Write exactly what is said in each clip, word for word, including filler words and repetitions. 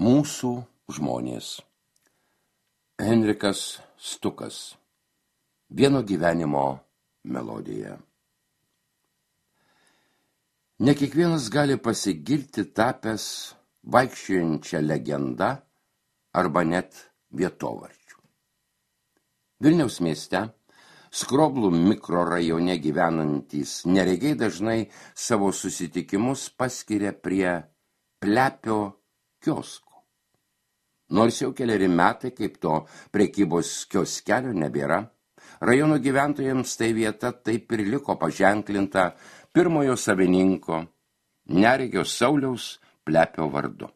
Mūsų žmonės. Henrikas Stukas. Vieno gyvenimo melodija. Ne kiekvienas gali pasigirti tapęs vaikščiojančią legendą arba net vietovardžių. Vilniaus mieste, Skroblų mikrorajone gyvenantys neregiai dažnai savo susitikimus paskiria prie Plepio kiosko. Nors jau keleri metai, kaip to prekybos kioskelio nebėra, rajono gyventojams tai vieta taip ir liko paženklinta pirmojo savininko, neregio Sauliaus Plepio vardu.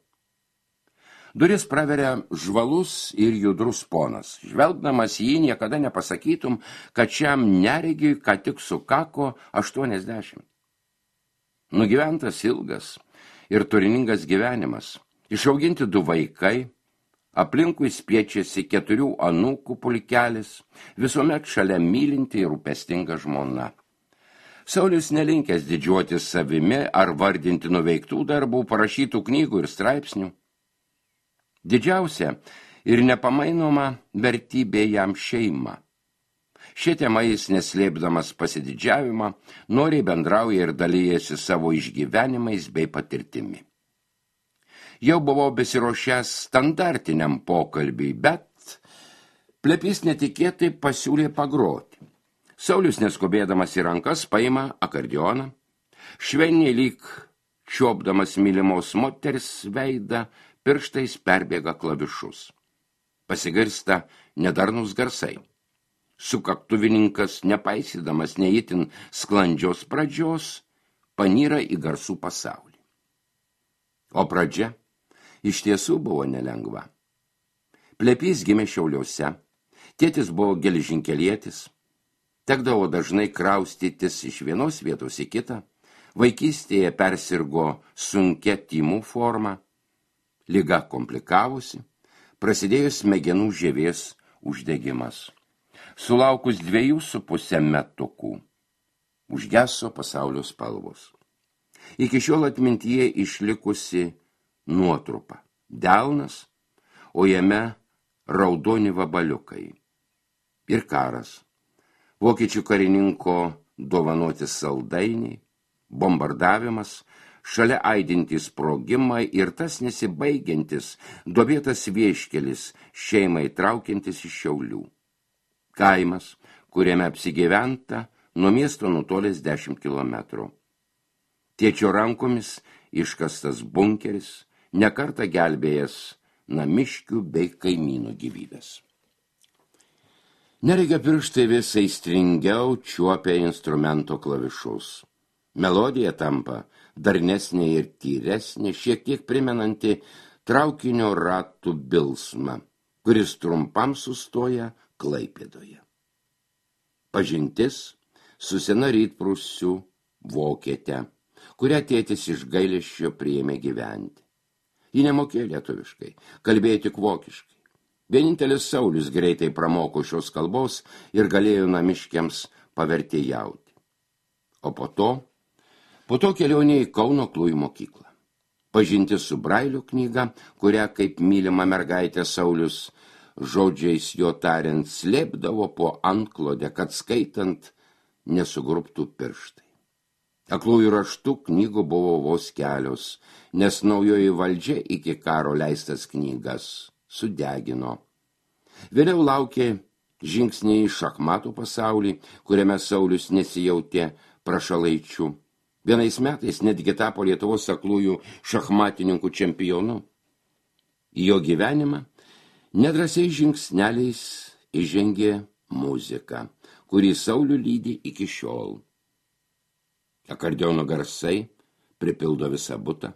Duris praveria žvalus ir judrus ponas. Žvelgdamas jį niekada nepasakytum, kad šiam neregiui ką tik sukako aštuoniasdešimt. Nugyventas ilgas ir turiningas gyvenimas, išauginti du vaikai, aplinkui spiečiasi keturių anūkų pulkelis, visuomet šalia mylinti ir rūpestinga žmona. Saulius nelinkęs didžiuotis savimi ar vardinti nuveiktų darbų, parašytų knygų ir straipsnių. Didžiausia ir nepamainoma vertybė jam šeima. Šia tema jis, neslėpdamas pasididžiavimą, noriai bendrauja ir dalyjasi savo išgyvenimais bei patirtimi. Jau buvau besiruošęs standartiniam pokalbiui, bet Plepys netikėtai pasiūlė pagroti. Saulius, neskubėdamas į rankas, paima akordeoną, švelniai lyg čiuopdamas mylimos moters veidą, pirštais perbėga klavišus. Pasigirsta nedarnus garsai. Sukaktuvininkas, nepaisydamas neįtin sklandžios pradžios, panyra į garsų pasaulį. O pradžia iš tiesų buvo nelengva. Plepys gimė Šiauliuose, tėtis buvo geležinkelietis, tekdavo dažnai kraustytis iš vienos vietos į kitą, vaikystėje persirgo sunkia tymų forma, liga komplikavusi, prasidėjo smegenų žievės uždegimas. Sulaukus dviejų su pusę metukų, užgeso pasaulio spalvos. Iki šiol atmintyje išlikusi nuotrupa, delnas, o jame raudoni vabaliukai. Ir karas, vokiečių karininko dovanoti saldainiai, bombardavimas, šalia aidintys sprogimai ir tas nesibaigiantis, duobėtas vieškelis šeimai traukiantis iš Šiaulių. Kaimas, kuriame apsigyventa, nuo miesto nutolęs dešimt kilometrų. Tėčio rankomis iškastas bunkeris, nekartą gelbėjęs namiškių bei kaimynų gyvybės. Neregio pirštai vis aistringiau čiuopia instrumento klavišus. Melodija tampa darnesnė ir tyresnė, šiek tiek primenanti traukinio ratų bilsmą, kuris trumpam sustoja Klaipėdoje. Pažintis su sena rytprūsių vokiete, kurią tėtis iš gailesčio priėmė gyventi. Ji nemokėjo lietuviškai, kalbėjo tik vokiškai. Vienintelis Saulius greitai pramoko šios kalbos ir galėjo namiškiams pavertėjauti. O po to, po to kelionė į Kauno aklųjų mokyklą. Pažintis su Brailio knyga, kurią kaip mylima mergaitė Saulius, žodžiais jo tariant, slėpdavo po antklodę, kad skaitant nesugrubtų pirštai. Aklųjų raštų knygų buvo vos kelios, nes naujoji valdžia iki karo leistas knygas sudegino. Vėliau laukė žingsniai į šachmatų pasaulį, kuriame Saulius nesijautė prašalaičių. Vienais metais netgi tapo Lietuvos aklųjų šachmatininkų čempionu. Į jo gyvenimą nedrasiai žingsneliais įžengė muzika, kurį Saulių lydi iki šiol. Akordeono garsai pripildo visą butą.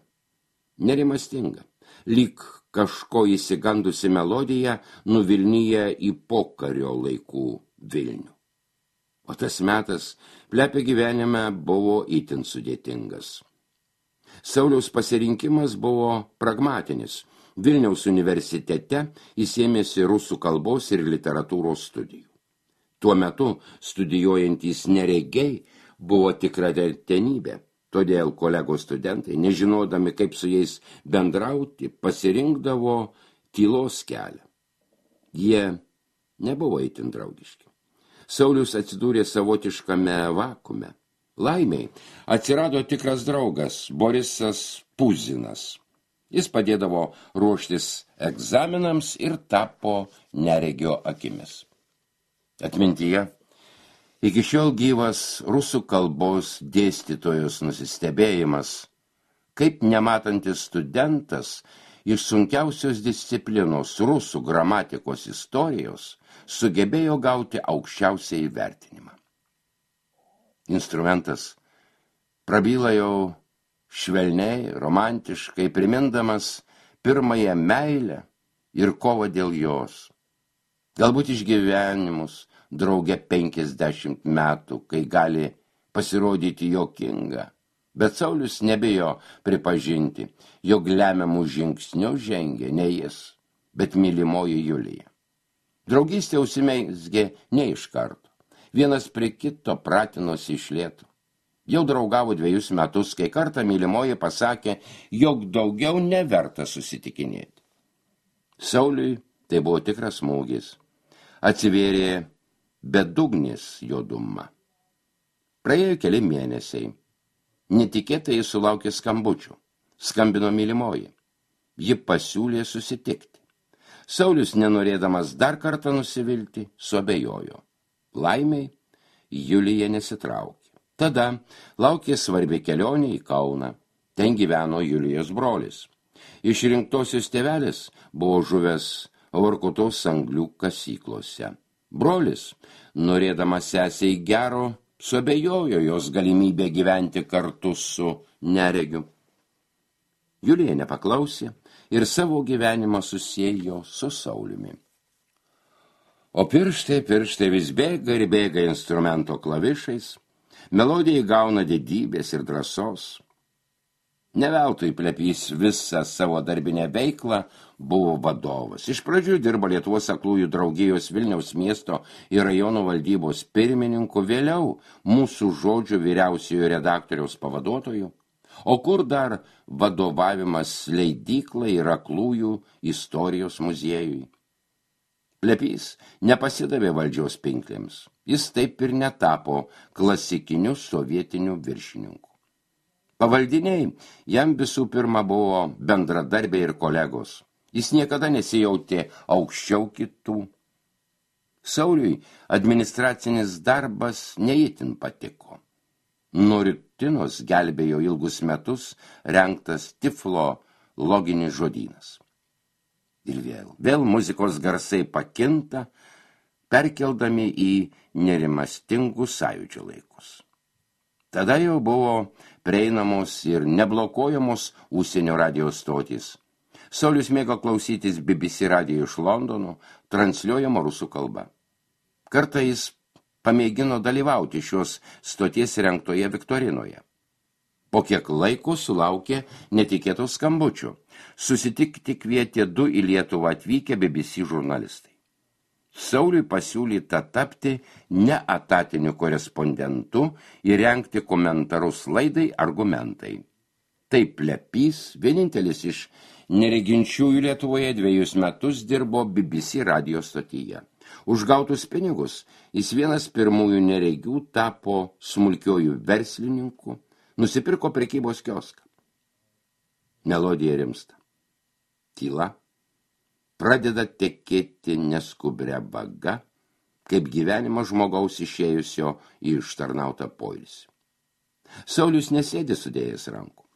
Nerimastinga, lyg kažko įsigandusi melodija nuvilnyja į pokario laikų Vilnių. O tas metas Plepio gyvenime buvo itin sudėtingas. Sauliaus pasirinkimas buvo pragmatinis. Vilniaus universitete jis ėmėsi rusų kalbos ir literatūros studijų. Tuo metu studijuojantys neregiai buvo tikra retenybė. Todėl kolegos studentai, nežinodami, kaip su jais bendrauti, pasirinkdavo tylos kelią. Jie nebuvo itin draugiški. Saulius atsidūrė savotiškame vakume. Laimiai atsirado tikras draugas Borisas Puzinas. Jis padėdavo ruoštis egzaminams ir tapo neregio akimis. Atmintyje iki šiol gyvas rusų kalbos dėstytojos nusistebėjimas, kaip nematantis studentas iš sunkiausios disciplinos rusų gramatikos istorijos sugebėjo gauti aukščiausią įvertinimą. Instrumentas prabyla jau švelniai, romantiškai, primindamas pirmąją meilę ir kovą dėl jos. Galbūt išgyvenimus drauge penkiasdešimt metų, kai gali pasirodyti juokinga. Bet Saulius nebijo pripažinti, jog lemiamų žingsnių žengė ne jis, bet mylimoji Julija. Draugystė užsimezgė ne iš karto. Vienas prie kito pratinosi iš lėto. Jau draugavo dviejus metus, kai kartą mylimoji pasakė, jog daugiau neverta susitikinėti. Sauliui tai buvo tikras smūgis. Atsivėrė bedugnis juoduma. Praėjo keli mėnesiai. Netikėtai jis sulaukė skambučių. Skambino mylimoji. Ji pasiūlė susitikti. Saulius, nenorėdamas dar kartą nusivilti, suabejojo. Laimiai Julija nesitraukė. Tada laukė svarbi kelionė į Kauną. Ten gyveno Julijos brolis. Išrinktosios tėvelis buvo žuvęs Vorkutos anglių kasyklose. Brolis, norėdamas sesei gero, suabejojo jos galimybę gyventi kartu su neregiu. Julija nepaklausė ir savo gyvenimą susiejo su Sauliumi. O pirštai, pirštai vis bėga ir bėga instrumento klavišais, melodija įgauna didybės ir drąsos. Neveltui Plepys visą savo darbinę veiklą buvo vadovas. Iš pradžių dirbo Lietuvos aklųjų draugijos Vilniaus miesto ir rajono valdybos pirmininku, vėliau mūsų žodžių vyriausiojo redaktoriaus pavaduotojų, o kur dar vadovavimas leidyklai ir aklųjų istorijos muziejui. Plepys nepasidavė valdžios pinklėms. Jis taip ir netapo klasikiniu sovietiniu viršininku. Pavaldiniai jam visų pirma buvo bendradarbiai ir kolegos. Jis niekada nesijautė aukščiau kitų. Sauliui administracinis darbas neįtin patiko. Nuo rutinos gelbėjo ilgus metus rengtas Tiflo loginis žodynas. Ir vėl, vėl muzikos garsai pakinta, perkeldami į nerimastingus sąjūdžio laikus. Tada jau buvo prieinamos ir neblokuojamos užsienio radijos stotys. Saulius mėgo klausytis B B C radijo iš Londono, transliuojamo rusų kalba. Kartą jis pamėgino dalyvauti šios stoties rengtoje viktorinoje. Po kiek laiko sulaukė netikėtų skambučių. Susitikti kvietė du į Lietuvą atvykę B B C žurnalistai. Sauliui pasiūlyta tapti neetatiniu korespondentu ir rengti komentarus laidai Argumentai. Taip Plepys, vienintelis iš nereginčiųjų Lietuvoje, dviejus metus dirbo B B C radijo stotyje. Už gautus pinigus jis vienas pirmųjų neregių tapo smulkiojų verslininku, nusipirko prekybos kioską. Melodija rimsta. Tyla pradeda tekėti neskubria vaga, kaip gyvenimo žmogaus išėjusio į ištarnautą poilsį. Saulius nesėdi sudėjęs rankų.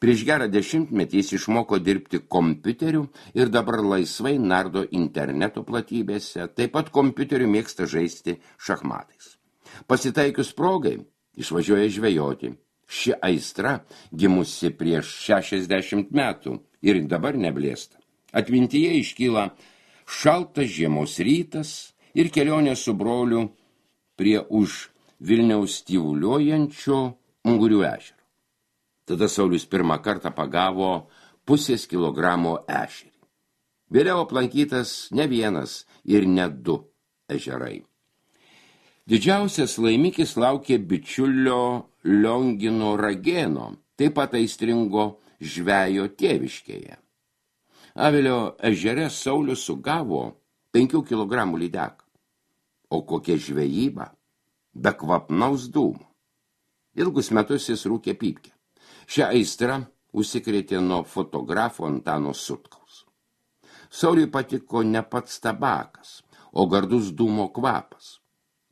Prieš gerą dešimtmetį jis išmoko dirbti kompiuteriu ir dabar laisvai nardo interneto platybėse, taip pat kompiuteriu mėgsta žaisti šachmatais. Pasitaikius progai išvažiuoja žvejoti. Ši aistra gimusi prieš šešiasdešimt metų ir dabar neblėsta. Atmintyje iškyla šaltas žiemos rytas ir kelionė su broliu prie už Vilniaus tyvuliuojančio Ungurių ežero. Tada Saulius pirmą kartą pagavo pusės kilogramo ešerį. Vėliau aplankytas ne vienas ir ne du ežerai. Didžiausias laimikis laukė bičiulio Liongino Ragėno, taip pat aistringo žvejo tėviškėje. Avilio ežere Saulius sugavo penkių kilogramų lydeką. O kokia žvejyba, be kvapnaus dūmo. Ilgus metus jis rūkė pypkę. Šią aistrą užsikrėtė nuo fotografo Antano Sutkaus. Sauliui patiko ne pats tabakas, o gardus dūmo kvapas.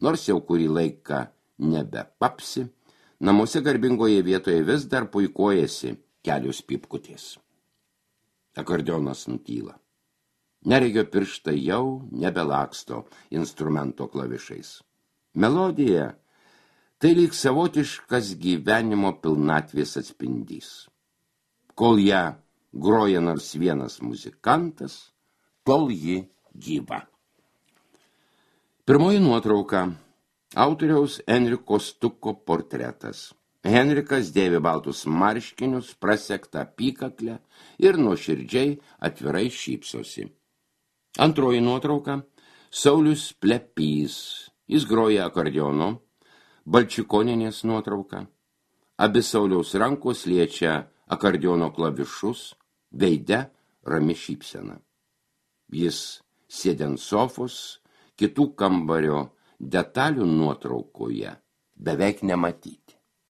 Nors jau kurį laiką nebepapsi, namuose garbingoje vietoje vis dar puikuojasi kelios pypkutės. Akordeonas nutyla. Neregio pirštai jau nebelaksto instrumento klavišais. Melodija tai lyg savotiškas gyvenimo pilnatvės atspindys. Kol ją groja nors vienas muzikantas, tol ji gyva. Pirmoji nuotrauka – autoriaus Enriko Stuko portretas. Henrikas dėvi baltus marškinius, prasektą apykaklę ir nuoširdžiai atvirai šypsosi. Antroji nuotrauka – Saulius Plepys. Jis groja akordeonu, Balčikoninės nuotrauka. Abi Sauliaus rankos liečia akordeono klavišus, veide rami šypsena. Jis sėdi ant sofos, kitų kambario detalių nuotraukoje beveik nematyti.